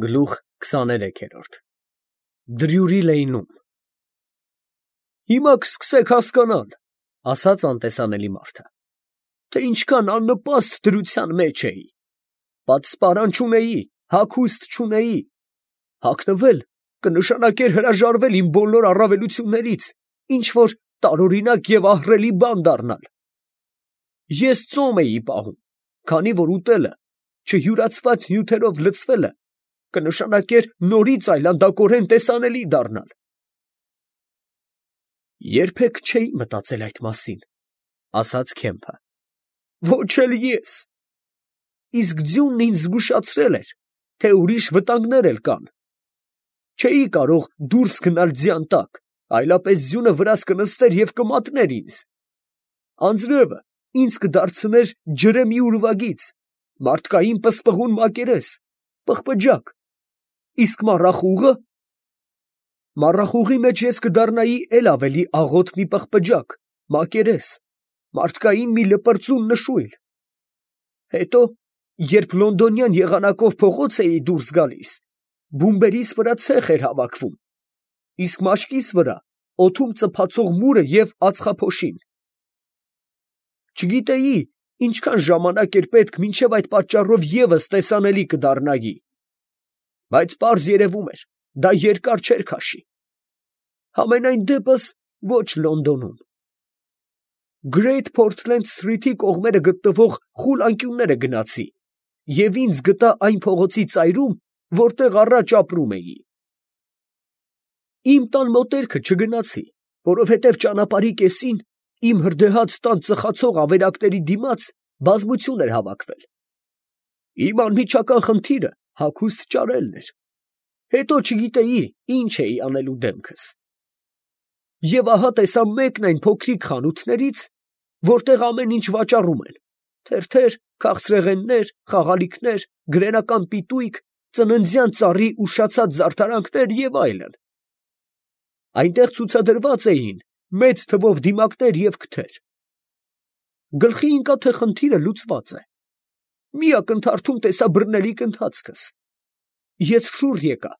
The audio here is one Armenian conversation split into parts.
Գլուխ 23 Դրյուրի լեյնում Հիմա կսկսեք հասկանալ, ասաց անտեսանելի մարդը, թե ինչքան աննպաստ դրության մեջ էի, պատսպարան չունեի, հագուստ չունեի, հագնվել կնշանակեր հրաժարվել իմ բոլոր առավելություններից, ինչ որ տարօրինակ և ահռելի բան դառնալ։ Ես ծոմ էի պահում, քանի որ ուտելը, չյուրացված նյութերով լցվելը, կնշանակեր նորից այլանդակորեն տեսանելի դառնալ։ Երբեք չէի մտածել այդ մասին, ասաց Քեմփը, ոչ էլ ես, իսկ ձյունն ինձ զգուշացրել էր, թե ուրիշ վտանգներ էլ կան։ Չէի կարող դուրս գնալ ձյան տակ, այլապես ձյունը վրաս կնստեր և կմատներ ինձ։ Անձրևը ինձ կդարձներ ջրեմի ուրվագիծ, մարդկային պսպղուն մակերես, պղպջակ, իսկ մառախուղը… Մառախուղի մեջ ես կդառնայի էլ ավելի աղոտ մի պղպջակ, մակերես, մարդկային մի լպրծուն նշույլ։ Հետո, երբ լոնդոնյան եղանակով փողոց էի դուրս գալիս, բումբերիս վրա ցեխ էր հավաքվում, իսկ մաշկիս վրա օդում ծփացող մուրը և ածխափոշին։ Չգիտեի ինչքան ժամանակ էր պետք, մինչև այդ պատճառով ևս տեսանելի կդառնայի, բայց պարզ երևում էր, դա երկար չէր քաշի։ Համենայն դեպս ոչ Լոնդոնում։ Գրեյթ Փորթլենդ Սթրիթի կողմերը գտնվող խուլ անկյունները գնացի և ինձ գտա այն փողոցի ծայրում, որտեղ առաջ ապրում էի։ Իմ տան մոտերքը չգնացի, որովհետև ճանապարհի կեսին իմ հրդեհաց տան ծխացող ավերակների դիմաց բազմություն էր հավաքվել։ Իմ անմիջական խնդիրը հագուստ ճարելն էր, հետո չգիտեի ինչ էի անելու դեմքս։ Եվ ահա տեսա մեկն այն փոքրիկ խանութներից, որտեղ ամեն ինչ վաճառում են. թերթեր, քաղցրեղեններ, խաղալիքներ, գրենական պիտույք, ծննդյան ծառի ուշացած զարդարանքներ և այլն։ Այնտեղ ցուցադրված էին մեծ թվով դիմակներ և քթեր։ Գլխի ընկա, թե խնդիրը լուծված է։ Մի ակնթարթում տեսա բռնելիք ընթացքս։ Ես շուռ եկա,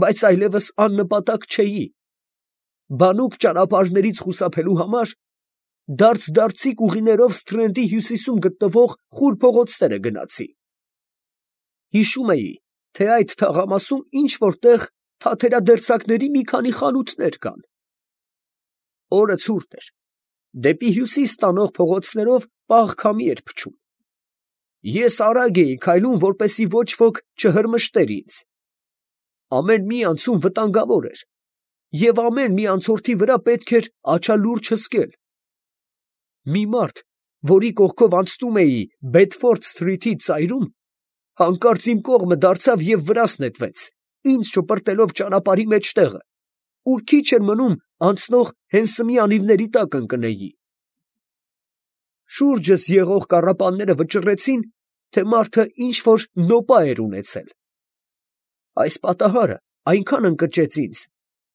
բայց այլևս աննպատակ չէի։ Բանուկ ճանապարհներից խուսափելու համար դարձիկ ուղիներով Սթրենդի հյուսիսում գտնվող խուլ փողոցները գնացի։ Հիշում էի, թե այդ թաղամասում ինչ֊որ տեղ թաթերադերձակների մի քանի խանութներ կան։ Օրը ցուրտ էր, դեպի հյուսիս տանող փողոցներով պաղ քամի էր փչում։ Ես արագ էի քայլում, որպեսզի ոչ ոք չհրմշտեր ինձ։ Ամեն մի անցում վտանգավոր էր, և ամեն մի անցորդի վրա պետք էր աչալուրջ հսկել։ Մի մարդ, որի կողքով անցնում էի Բեդֆորդ Սթրիթի ծայրում, հանկարծ իմ կողմը դարձավ և վրաս նետվեց, ինձ շպրտելով ճանապարհի մեջտեղը, ուր քիչ էր մնում անցնող Հենսմի անիվների տակ ընկնեի։ Շուրջս եղող կառապանները վճռեցին, թե մարդը ինչ֊որ նոպա էր ունեցել։ Այս պատահարը այնքան ընկճեց ինձ,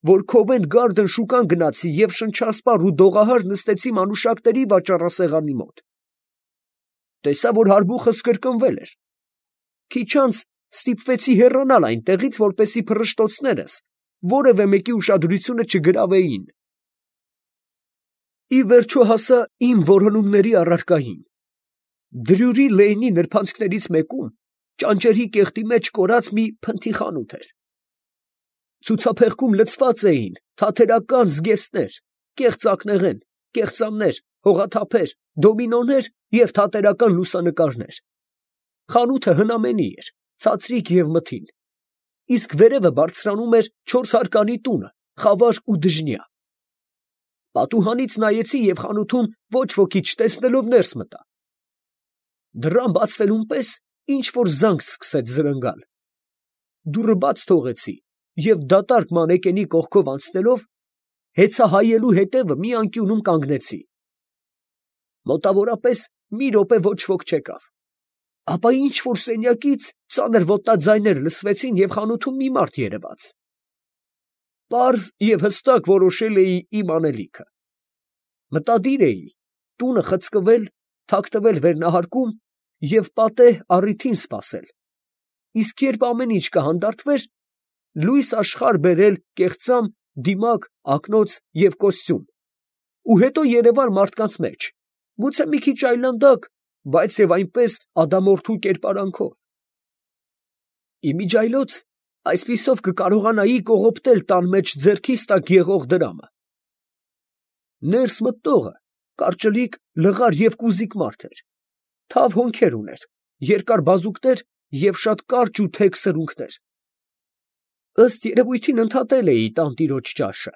որ Քովենթ Գարդեն շուկան գնացի և շնչասպառ ու դողահար նստեցի մանուշակների վաճառասեղանի մոտ։ Տեսա, որ հարբուխս կրկնվել էր։ Քիչ անց ստիպվեցի հեռանալ այնտեղից, որպեսզի փռշտոցներս որևէ մեկի ուշադրությունը չգրավեին։ Ի վերջո հասա իմ որոնումների առարկային։ Դրյուրի լեյնի նրբանցքներից մեկում ճանճերի կեղտի մեջ կորած մի փնթի խանութ էր։ Ցուցափեղկում լցված էին թաթերական զգեստներ, կեղծ ակնեղեն, կեղծամներ, հողաթափեր, դոմինոներ և թատերական լուսանկարներ։ Խանութը հնամենի էր, ցածրիկ և մթին, իսկ վերևը բարձրանում էր 4 հարկանի տունը, խավար ու դժնյա։ Պատուհանից նայեցի և խանութում ոչ ոքի չտեսնելով ներս մտա։ Դռան բացվելուն պես ինչ֊որ զանգ սկսեց զրնգալ։ Դուռը բաց թողեցի և դատարկ մանեկենի կողքով անցնելով, հեծահայելու հետևը մի անկյունում կանգնեցի։ Մոտավորապես մի րոպե ոչ ոք չեկավ։ Ապա ինչ֊որ սենյակից ծանր ոտնաձայներ լսվեցին և խանութում մի մարդ երևաց։ Պարզ և հստակ որոշել էի իմ անելիքը։ Մտադիր էի տունը խցկվել, թաքնվել վերնահարկում և պատեհ առիթին սպասել։ իսկ երբ ամեն ինչ կհանդարտվեր, լույս աշխարհ բերել կեղծամ, դիմակ, ակնոց և կոստյում, ու հետո երևալ մարդկանց մեջ, գուցե մի քիչ այլանդակ, բայց և այնպես ադամորդու կերպարանքով։ Իմիջիայլոց այսպիսով կկարողանայի կողոպտել տան մեջ ձեռքիս տակ եղող դրամը։ Ներս մտնողը կարճլիկ, լղար և կուզիկ մարդ էր, թավ հոնքեր ուներ, երկար բազուկներ և շատ կարճ ու թեք սրունքներ։ Ըստ երևույթին ընդհատել էի տանտիրոջ ճաշը։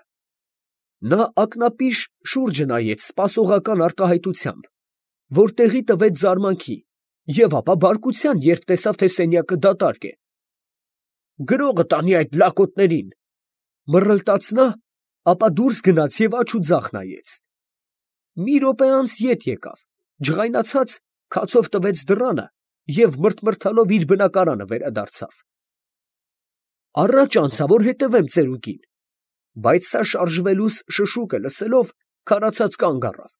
Նա ակնապիշ շուրջը նայեց սպասողական արտահայտությամբ, որ տեղի տվեց զարմանքի և ապա բարկության, երբ տեսավ, թե սենյակը դատարկ է։ «Գրողը տանի այդ լակոտներին», մռլտաց նա, ապա դուրս գնաց և աջ ու ձախ նայեց։ Մի րոպե անց ետ եկավ, ջղայնացած, քացով տվեց դռանը և մրթմրթալով իր բնակարանը վերադարձավ։ Առաջ անցա, որ հետևեմ ծերուկին, բայց սա շարժվելուս շշուկը լսելով, քարացած կանգ առավ։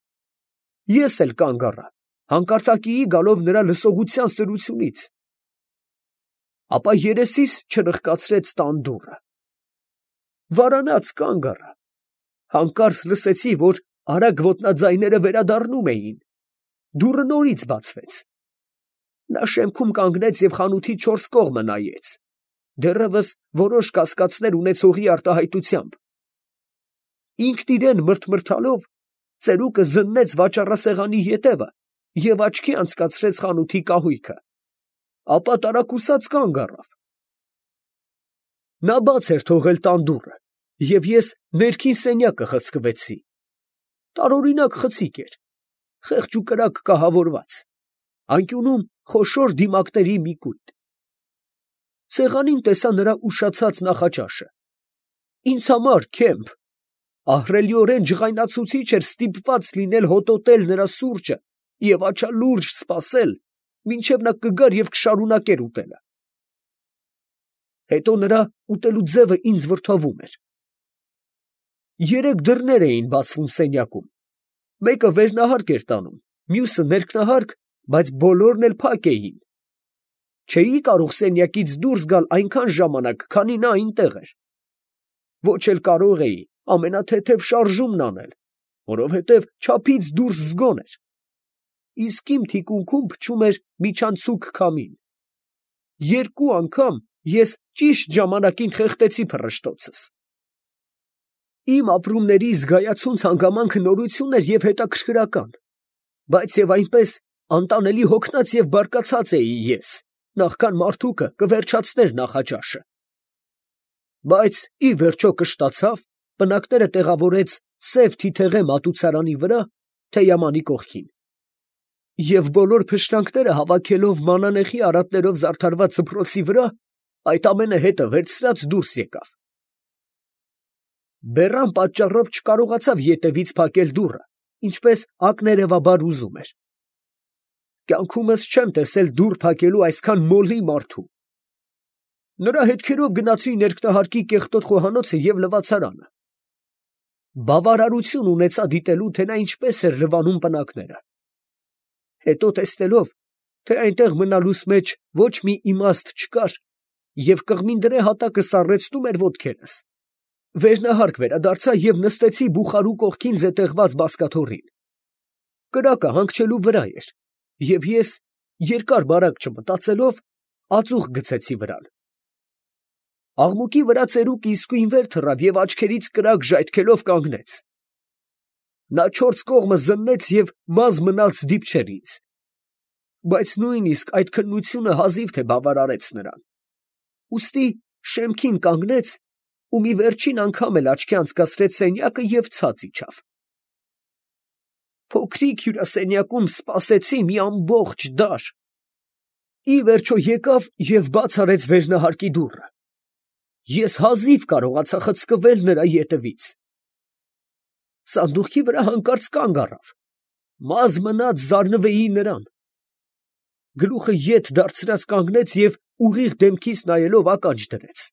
Ես էլ կանգ առա, հանկարծակիի գալով նրա լսողության սրությունից։ Ապա երեսիս չրխկացրեց տան դուռը։ Վարանած կանգ առա, հանկարծ լսեցի, որ արագ ոտնաձայները վերադառնում էին։ Դուռը նորից բացվեց։ Նա շեմքում կանգնեց և խանութի չորս կողմը նայեց, դեռևս որոշ կասկածներ ունեցողի արտահայտությամբ։ Ինքն իրան մրթմրթալով, ծերուկը զննեց վաճառասեղանի ետևը և աչքի անցկացրեց խանութի կահույքը, ապա տարակուսած կանգ առավ։ Նա բաց էր թողել տան դուռը, և ես ներքին սենյակը խցկվեցի։ Տարօրինակ խցիկ էր, խեղճ ու կրակ կահավորված, անկյունում խոշոր դիմակների մի կույտ։ Սեղանին տեսա նրա ուշացած նախաճաշը։ Ինձ համար, Քեմփ, ահռելիորեն ջղայնացուցիչ էր ստիպված լինել հոտոտել նրա սուրճը և աչալուրջ սպասել, մինչև նա կգար և կշարունակեր ուտելը։ Հետո նրա ուտելու ձևը ինձ վրդովում էր։ Երեք դռներ էին բացվում սենյակում, մեկը վերնահարկ էր տանում, մյուսը ներքնահարկ, բայց բոլորն էլ փակ էին։ Չէի կարող սենյակից դուրս գալ այնքան ժամանակ, քանի նա այնտեղ էր։ Ոչ էլ կարող էի ամենաթեթև շարժումն անել, որովհետև չափից դուրս զգոն էր, իսկ իմ թիկունքում փչում էր միջանցիկ քամին։ Երկու անգամ ես ճիշտ ժամանակին խեղդեցի փռշտոցս։ Իմ ապրումների զգայացուն հանգամանքը նորություն էր և հետաքրքրական, բայց և այնպես անտանելի հոգնած և բարկացած էի ես, նախքան մարդուկը կվերջացներ նախաճաշը։ Բայց ի վերջո կշտացավ, պնակները տեղավորեց սև թիթեղե մատուցարանի վրա, թեյամանի կողքին, և բոլոր փշրանքները հավաքելով մանանեխի արատներով զարդարված դպրոցի վրա, այդ ամենը հետը վերցրած դուրս եկավ։ Բեռան պատճառով չկարողացավ ետևից փակել դուռը, ինչպես ակներևաբար ուզում էր։ Կյանքումս չեմ տեսել դուռ փակելու այսքան մոլի մարդու։ Նրա հետքերով գնացի ներքնահարկի կեղտոտ խոհանոցը և լվացարանը։ Բավարարություն ունեցա դիտելու, թե նա ինչպես էր լվանում պնակները։ Հետո տեսնելով, թե այնտեղ մնալուս մեջ ոչ մի իմաստ չկար, և կղմինդրե հատակը սառեցնում էր ոտքերս, վերնահարկ վերադարձա և նստեցի բուխարու կողքին զետեղված բազկաթոռին։ Կրակը հանգչելու վրա էր, և ես, երկար֊բարակ չմտածելով, ածուխ գցեցի վրան։ Աղմուկի վրա ծերուկը իսկույն վեր թռավ և աչքերից կրակ ժայթքելով կանգնեց։ Նա չորս կողմը զննեց և մազ մնաց դիպչեր ինձ, բայց նույնիսկ այդ քննությունը հազիվ թե բավարարեց նրան, ուստի շեմքին կանգնեց ու մի վերջին անգամ էլ աչքի անցկացրեց սենյակը և ցած իջավ։ Փոքրիկ հյուրասենյակում սպասեցի մի ամբողջ դար։ Ի վերջո եկավ և բաց արեց վերնահարկի դուռը։ Ես հազիվ կարողացա խցկվել նրա ետևից։ Սանդուղքի վրա հանկարծ կանգ առավ, մազ մնաց զարնվեի նրան։ Գլուխը ետ դարձրած կանգնեց և ուղիղ դեմքիս նայելով ականջ դրեց։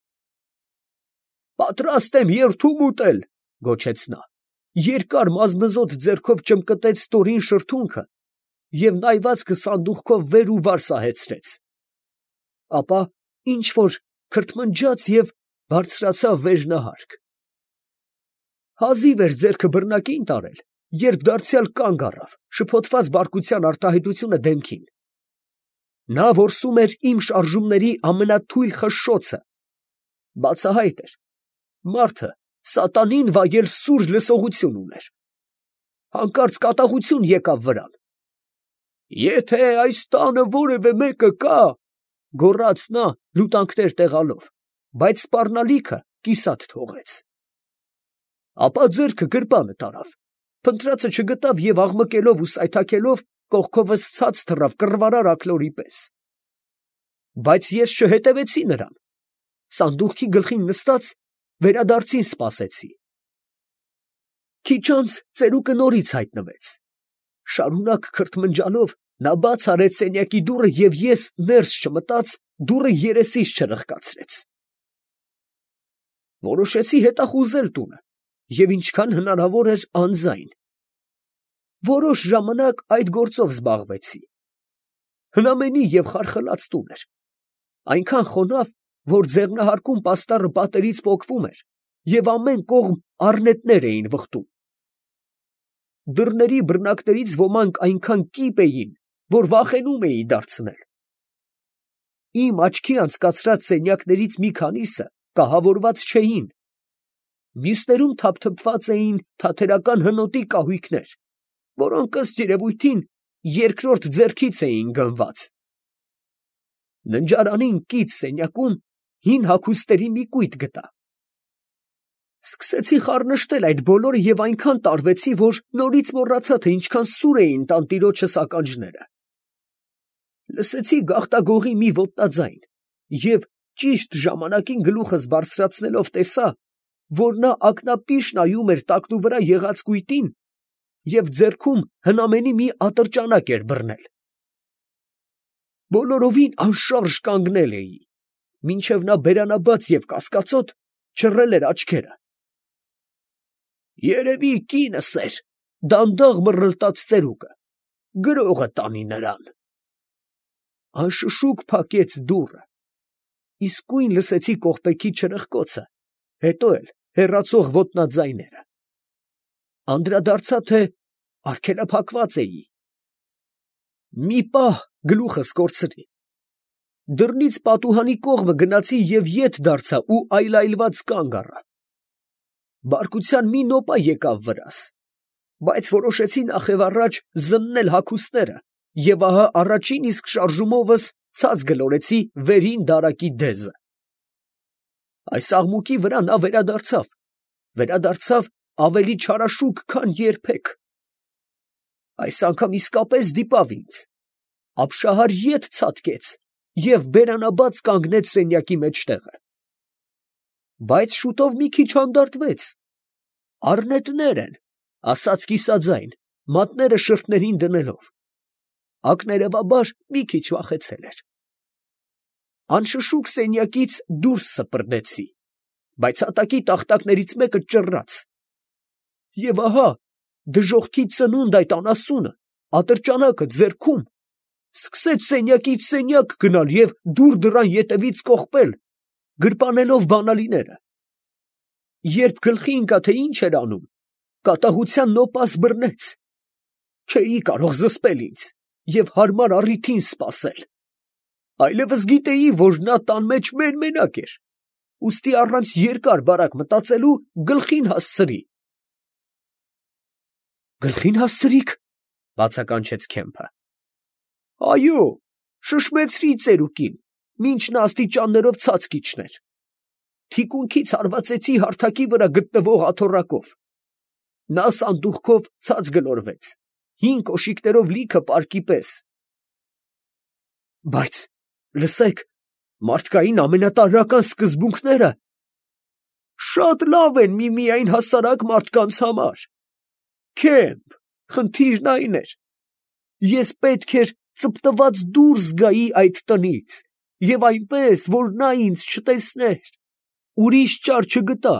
«Պատրաստ եմ երդում ուտել», ֊ գոչեց նա, երկար մազմզոտ ձեռքով ճմկտեց ստորին շրթունքը և նայվածքը սանդուղքով վեր ու վար սահեցրեց։ Ապա ինչ որ քրթմնջաց և բարձրացավ վերնահարկ։ Հազիվ էր ձեռքը բռնակին տարել, երբ դարձյալ կանգ առավ, շփոթված բարկության արտահայտությունը դեմքին։ Նա որսում էր իմ շարժումների ամենաթույլ խշշոցը։ Բացահայտ էր, մարդը սատանին վայել սուր լսողություն ուներ։ Հանկարծ կատաղություն եկավ վրան։ «Եթե այս տանը որևէ մեկը կա, ֊ գոռաց նա, լուտանքներ տեղալով, բայց սպառնալիքը կիսատ թողեց։ Ապա ձեռքը գրպանը տարավ, փնտրածը չգտավ և աղմկելով ու սայթաքելով կողքովս ցած թռավ կռվարար աքլորի պես։ Բայց ես չհետևեցի նրան, սանդուղքի գլխին նստած վերադարձին սպասեցի։ Քիչ անց ծերուկը նորից հայտնվեց։ Շարունակ քրթմնջալով նա բաց արեց սենյակի դուռը և ես ներս չմտած դուռը երեսիս չրխկացրեց։ Որոշեցի հետախուզել տունը և ինչքան հնարավոր էր անձայն։ Որոշ ժամանակ այդ գործով զբաղվեցի։ Հնամենի և խարխլած տուն էր, այնքան խոնավ, որ ձեղնահարկում պաստառը պատերից պոկվում էր և ամեն կողմ առնետներ էին վխտում։ Դռների բռնակներից ոմանք այնքան կիպ էին, որ վախենում էի դարձնել։ Իմ աչքի անցկացրած սենյակներից մի քանիսը կահավորված չէին, մյուսներում թափթփված էին թաթերական հնոտի կահույքներ, որոնք ըստ երևույթին երկրորդ ձեռքից էին գնված։ Ննջարանին կից սենյակում հին հագուստերի մի կույտ գտա։ Սկսեցի խառնշտել այդ բոլորը և այնքան տարվեցի, որ նորից մոռացա, թե ինչքան սուր էին տանտիրոջս ականջները։ Լսեցի գաղտագողի մի ոտնաձայն և ճիշտ ժամանակին գլուխս բարձրացնելով տեսա, որ նա ակնապիշ նայում էր տակնուվրա եղած կույտին և ձեռքում հնամենի մի ատրճանակ էր բռնել։ Բոլորովին անշարժ կանգնել էի, մինչև նա բերանաբաց և կասկածոտ չռել էր աչքերը։ «Երևի կինս էր, ֊ դանդաղ մռռլտաց ծերուկը, ֊ գրողը տանի նրան»։ Անշշուկ փակեց դուռը։ Իսկույն լսեցի կողպեքի չրխկոցը, հետո էլ հեռացող ոտնաձայները։ Անդրադարձա, թե արգելափակված էի։ Մի պահ գլուխս կորցրի։ Դռնից պատուհանի կողմը գնացի և ետ դարձա ու այլայլված կանգ առա։ Բարկության մի նոպա եկավ վրաս, բայց որոշեցի նախևառաջ զննել հագուստները և ահա առաջին իսկ շարժումովս ցած գլորեցի վերին դարակի դեզը։ Այս աղմուկի վրա նա վերադարձավ ավելի չարաշուկ, քան երբեք։ Այս անգամ իսկապես դիպավ ինձ, ապշահար ետ ցատկեց և բերանաբաց կանգնեց սենյակի մեջտեղը։ Բայց շուտով մի քիչ հանդարտվեց։ «Առնետներ են, ֊ ասաց կիսաձայն, մատները շրթերին դնելով։ Ակներևաբար մի քիչ վախեցել էր։ Անշշուկ սենյակից դուրս սպրդեցի, բայց հատակի տախտակներից մեկը ճռռաց։ Եվ ահա դժոխքի ծնունդ այդ անասունը, ատրճանակը ձեռքում, սկսեց սենյակից սենյակ գնալ և դուռ դռան ետևից կողպել, գրպանելով բանալիները։ Երբ գլխի ընկա, թե ինչ էր անում, կատաղության նոպաս բռնեց։ Չէի կարող զսպել ինձ և հարմար առիթին սպասել։ Այլևս գիտեի, որ նա տան մեջ մեն֊մենակ էր, ուստի առանց երկար֊բարակ մտածելու գլխին հասցրի։ «Գլխին հասցրիք, ֊ բացականչեց Քեմփը։ ֊ Այո, շշմեցրի ծերուկին, մինչ նա աստիճաններով ցած կիջներ։ Թիկունքից հարվածեցի հարթակի վրա գտնվող աթոռակով։ Նա սանդուղքով ցած գլորվեց, հին կոշիկներով լիքը պարկի պես։ Բայց լսեք, մարդկային ամենատարրական սկզբունքները շատ լավ են միմիայն հասարակ մարդկանց համար։ Քեմփ, խնդիրն այն էր. ես պետք էր ծպտված դուրս գայի այդ տնից և այնպես, որ նա ինձ չտեսներ, ուրիշ ճար չգտա,